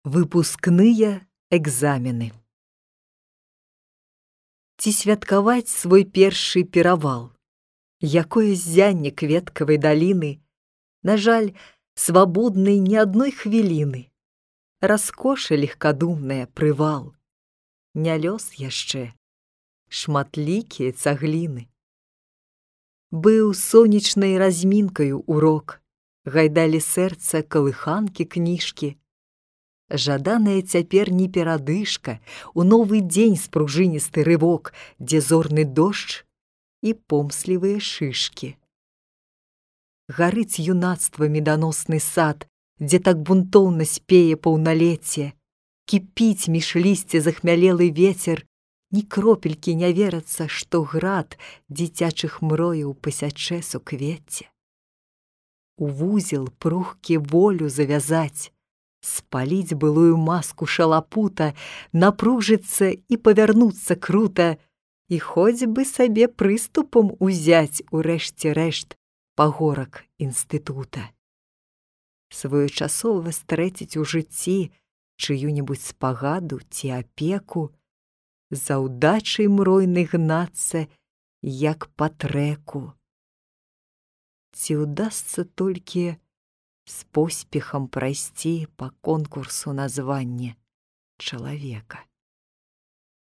Выпускныя экзамены. Ці святкаваць свой першы перавал? Якое ззянне кветкавай даліны, на жаль, свабоднай ні адной хвіліны. Раскоша легкадумная прывал. Не лёс яшчэ, шматлікія цагліны. Быў сонечнай размінкаю урок, гайдалі сэрца калыханкі кніжкі. Жаданая цяпер не перадышка, у новы дзень спружыністы рывок, дзе зорны дождж і помслівыя шышкі. Гарыць юнацтва меданосны сад, дзе так бунтоўна спее паўналецце, кіпіць між лісця захмялелы вецер, ні кропелькі не верацца, што град дзіцячых мрояў пасячэ суквецце. У вузел прухкі волю завязаць, спаліць былую маску шалапута, напружыцца і павярнуцца крута, і хоць бы сабе прыступам узяць у рэшце рэшт пагорак інстытута. Своечасова стрэціць у жыцці чыю-небудзь спагаду ці апеку, за ўдачай мройнай гнацца, як па трэку. Ці ўдасца толькі з поспехам прайсці па конкурсу на званне чалавека.